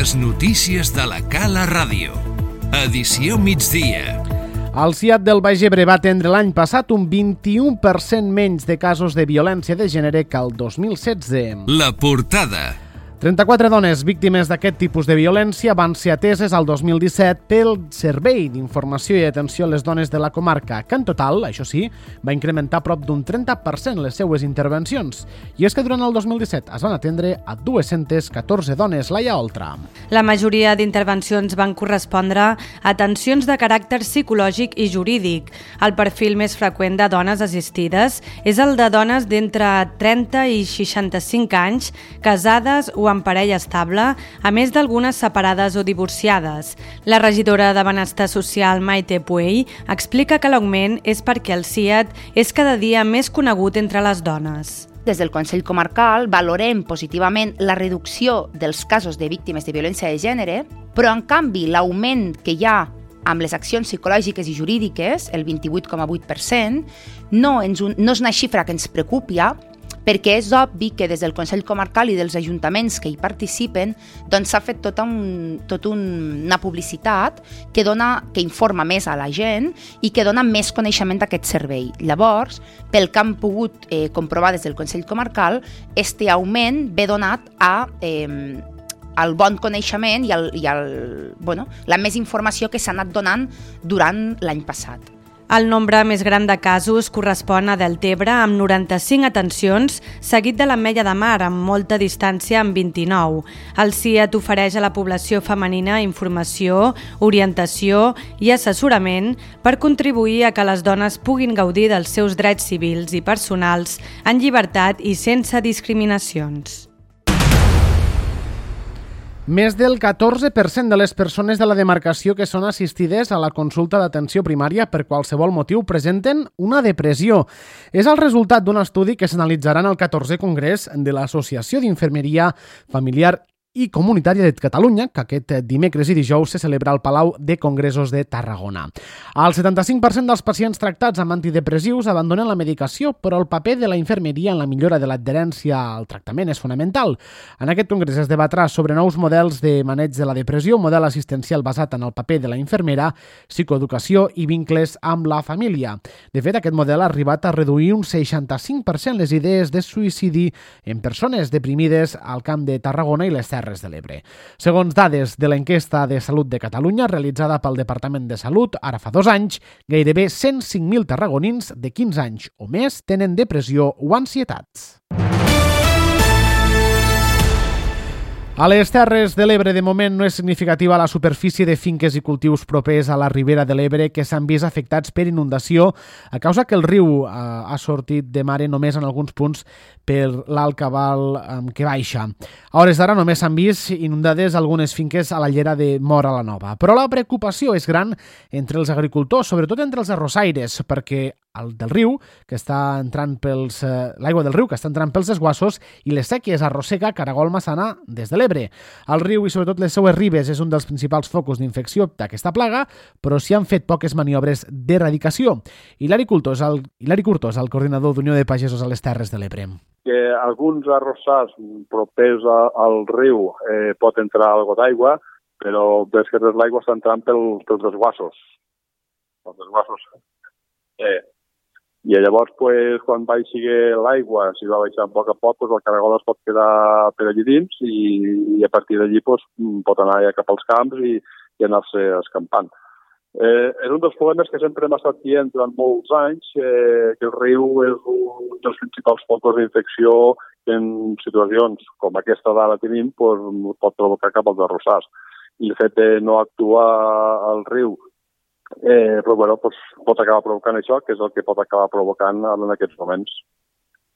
Les notícies de la Cala Ràdio. Edició migdia. El CIAT del Baix Ebre va atendre l'any passat un 21% menys de casos de violència de gènere que el 2016. La portada. 34 dones víctimes d'aquest tipus de violència van ser ateses al 2017 pel Servei d'Informació i Atenció a les Dones de la comarca, que en total, això sí, va incrementar prop d'un 30% les seues intervencions. I és que durant el 2017 es van atendre a 214 dones, Laia Oltra. La majoria d'intervencions van correspondre a atencions de caràcter psicològic i jurídic. El perfil més freqüent de dones assistides és el de dones d'entre 30 i 65 anys, casades o en parella estable, a més d'algunes separades o divorciades. La regidora de Benestar Social, Maite Puey, explica que l'augment és perquè el CIAT és cada dia més conegut entre les dones. Des del Consell Comarcal valorem positivament la reducció dels casos de víctimes de violència de gènere, però en canvi l'augment que hi ha amb les accions psicològiques i jurídiques, el 28,8%, no és una xifra que ens preocupi, perquè és obvi que des del Consell Comarcal i dels ajuntaments que hi participen doncs s'ha fet tota una publicitat que informa més a la gent i que dona més coneixement d'aquest servei. Llavors, pel que han pogut comprovar des del Consell Comarcal, este augment ve donat al bon coneixement i la més informació que s'ha anat donant durant l'any passat. El nombre més gran de casos correspon a Deltebre, amb 95 atencions, seguit de l'Ametlla de Mar, amb molta distància, amb 29. El CIAT ofereix a la població femenina informació, orientació i assessorament per contribuir a que les dones puguin gaudir dels seus drets civils i personals en llibertat i sense discriminacions. Més del 14% de les persones de la demarcació que són assistides a la consulta d'atenció primària per qualsevol motiu presenten una depressió. És el resultat d'un estudi que s'analitzarà en el 14è Congrés de l'Associació d'Infermeria Familiar i Comunitària de Catalunya, que aquest dimecres i dijous se celebra al Palau de Congressos de Tarragona. El 75% dels pacients tractats amb antidepressius abandonen la medicació, però el paper de la infermeria en la millora de l'adherència al tractament és fonamental. En aquest congrés es debatrà sobre nous models de maneig de la depressió, model assistencial basat en el paper de la infermera, psicoeducació i vincles amb la família. De fet, aquest model ha arribat a reduir un 65% les idees de suïcidi en persones deprimides al Camp de Tarragona i les Terres de l'Ebre. Segons dades de l'enquesta de Salut de Catalunya, realitzada pel Departament de Salut, ara fa 2 anys, gairebé 105.000 tarragonins de 15 anys o més tenen depressió o ansietats. A les Terres de l'Ebre, de moment, no és significativa la superfície de finques i cultius propers a la ribera de l'Ebre que s'han vist afectats per inundació a causa que el riu ha sortit de mare només en alguns punts per l'alt cabal que baixa. A hores d'ara només s'han vist inundades algunes finques a la llera de Móra la Nova. Però la preocupació és gran entre els agricultors, sobretot entre els arrossaires, perquè l'aigua del riu que està entrant pels desguassos i les sèquies arrossega Caragol Maçana des de l'Ebre. El riu i sobretot les seues ribes és un dels principals focus d'infecció d'aquesta plaga, però s'hi han fet poques maniobres d'erradicació. Hilari Curtos, el coordinador d'Unió de Pagesos a les Terres de l'Ebre. Que alguns arrossars propers al riu pot entrar algo d'aigua, però des que l'aigua està entrant pels desguassos. Els desguassos. I llavors, quan baixi l'aigua, si va baixant a poc, el caragol es pot quedar per allí dins i a partir d'allí pot anar ja cap als camps i anar-se escampant. És un dels problemes que sempre hem estat dient durant molts anys, que el riu és un dels principals focus d'infecció que en situacions com aquesta d'ara tenim pot provocar cap als arrossars. I el fet de no actuar al riu pot acabar provocant això, que és el que pot acabar provocant en aquests moments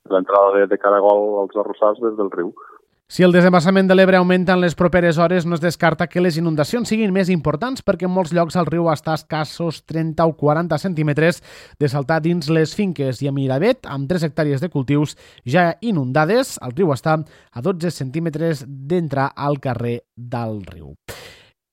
l'entrada de caragol als arrossars des del riu. Si el desembassament de l'Ebre augmenta en les properes hores, no es descarta que les inundacions siguin més importants perquè en molts llocs el riu està a escassos 30 o 40 centímetres de saltar dins les finques i a Miravet, amb 3 hectàrees de cultius ja inundades, el riu està a 12 centímetres d'entrar al carrer del riu.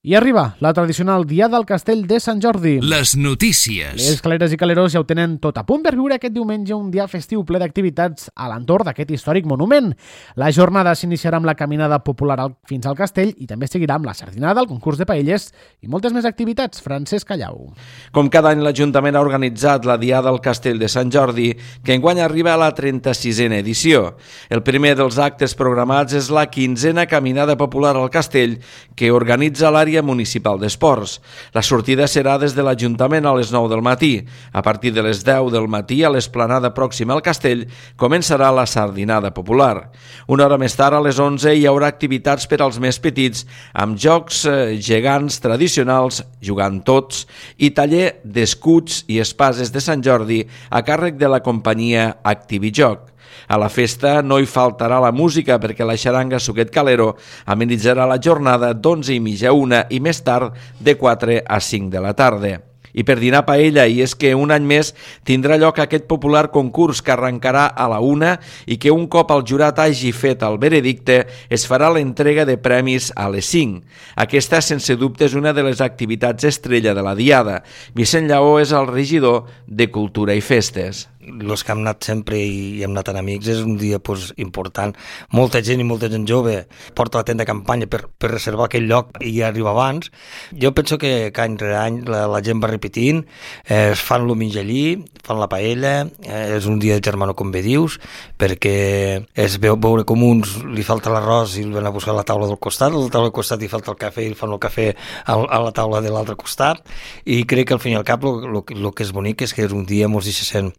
I arriba la tradicional Diada al Castell de Sant Jordi. Les notícies. Les caleres i calerós ja ho tenen tot a punt per viure aquest diumenge un dia festiu ple d'activitats a l'entorn d'aquest històric monument. La jornada s'iniciarà amb la caminada popular fins al castell i també seguirà amb la sardinada, el concurs de paelles i moltes més activitats. Francesc Callau. Com cada any, l'Ajuntament ha organitzat la Diada al Castell de Sant Jordi, que enguany arriba a la 36a edició. El primer dels actes programats és la 15a Caminada Popular al Castell, que organitza l'àrea municipal d'esports. La sortida serà des de l'Ajuntament a les 9 del matí. A partir de les 10 del matí, a l'esplanada pròxima al castell, començarà la sardinada popular. Una hora més tard, a les 11, hi haurà activitats per als més petits, amb jocs gegants tradicionals, jugant tots, i taller d'escuts i espases de Sant Jordi a càrrec de la companyia Activijoc. A la festa no hi faltarà la música perquè la xaranga Suquet Calero amenitzarà la jornada d'11:30 a 1 i més tard de 4 a 5 de la tarda. I per dinar paella, i és que un any més tindrà lloc aquest popular concurs que arrencarà a la 1 i que un cop el jurat hagi fet el veredicte es farà l'entrega de premis a les 5. Aquesta, sense dubte, és una de les activitats estrella de la Diada. Vicent Lleó és el regidor de Cultura i Festes. Els que hem anat sempre i hem anat en amics, és un dia important. Molta gent i molta gent jove porta la tenda de campanya per reservar aquell lloc i arribar abans. Jo penso que any rere any la gent va repetint, es fan el menjar allí, fan la paella, és un dia de germano, com bé dius, perquè es veu veure com uns li falta l'arròs i el van a buscar a la taula del costat, a la taula del costat li falta el cafè i el fan el cafè a la taula de l'altre costat, i crec que al fin i al cap el que és bonic és que és un dia ens deixen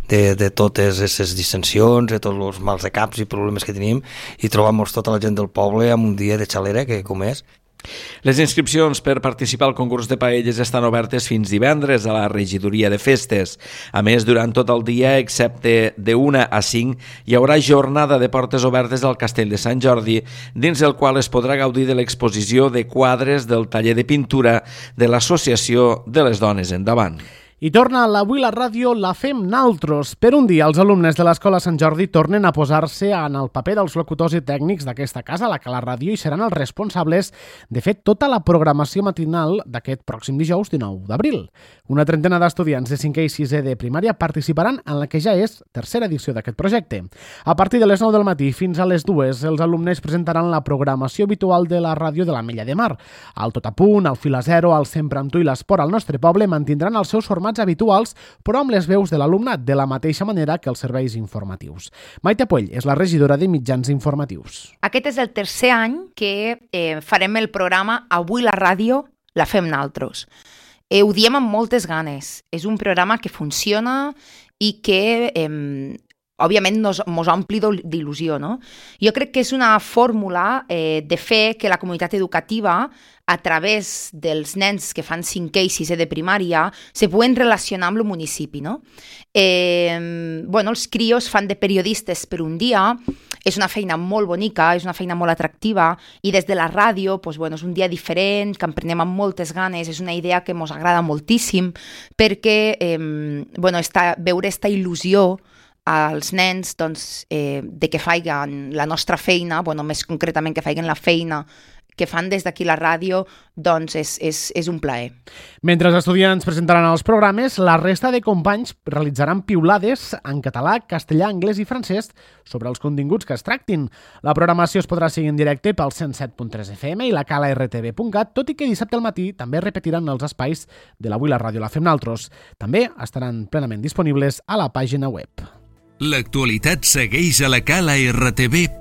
de totes aquestes dissensions, de tots els mals de caps i problemes que tenim, i trobem-nos tota la gent del poble en un dia de xalera, que com és. Les inscripcions per participar al concurs de paelles estan obertes fins divendres a la regidoria de festes. A més, durant tot el dia, excepte de 1 a 5, hi haurà jornada de portes obertes al Castell de Sant Jordi, dins el qual es podrà gaudir de l'exposició de quadres del taller de pintura de l'Associació de les Dones Endavant. I torna l'Avui la ràdio la fem naltros. Per un dia, els alumnes de l'Escola Sant Jordi tornen a posar-se en el paper dels locutors i tècnics d'aquesta casa, la Cala Ràdio, i seran els responsables de fer tota la programació matinal d'aquest pròxim dijous 19 d'abril. Una trentena d'estudiants de 5è i 6è de primària participaran en la que ja és tercera edició d'aquest projecte. A partir de les 9 del matí fins a les 2, els alumnes presentaran la programació habitual de la ràdio de l'Ametlla de Mar. El Tot a Punt, el Fil a Zero, el Sempre amb tu i l'Esport al nostre poble mantindran els seus formats habituals, però amb les veus de l'alumnat, de la mateixa manera que els serveis informatius. Maite Puell és la regidora de mitjans informatius. Aquest és el tercer any que farem el programa Avui la ràdio la fem naltros. Ho diem amb moltes ganes. És un programa que funciona i que òbviament mos ompli d'il·lusió, no? Jo crec que és una fórmula de fer que la comunitat educativa, a través dels nens que fan 5è i 6è de primària, se puguen relacionar amb el municipi, no? Els crios fan de periodistes per un dia, és una feina molt bonica, és una feina molt atractiva, i des de la ràdio és un dia diferent, que en prenem amb moltes ganes, és una idea que ens agrada moltíssim, perquè veure aquesta il·lusió als nens de que faiguen la nostra feina, més concretament que faiguen la feina que fan des d'aquí la ràdio, és un plaer. Mentre els estudiants presentaran els programes, la resta de companys realitzaran piulades en català, castellà, anglès i francès sobre els continguts que es tractin. La programació es podrà seguir en directe pel 107.3 FM i la calartv.cat, tot i que dissabte al matí també repetiran els espais de l'Avui la ràdio la fem naltros. També estaran plenament disponibles a la pàgina web. L'actualitat segueix a la calartv.cat.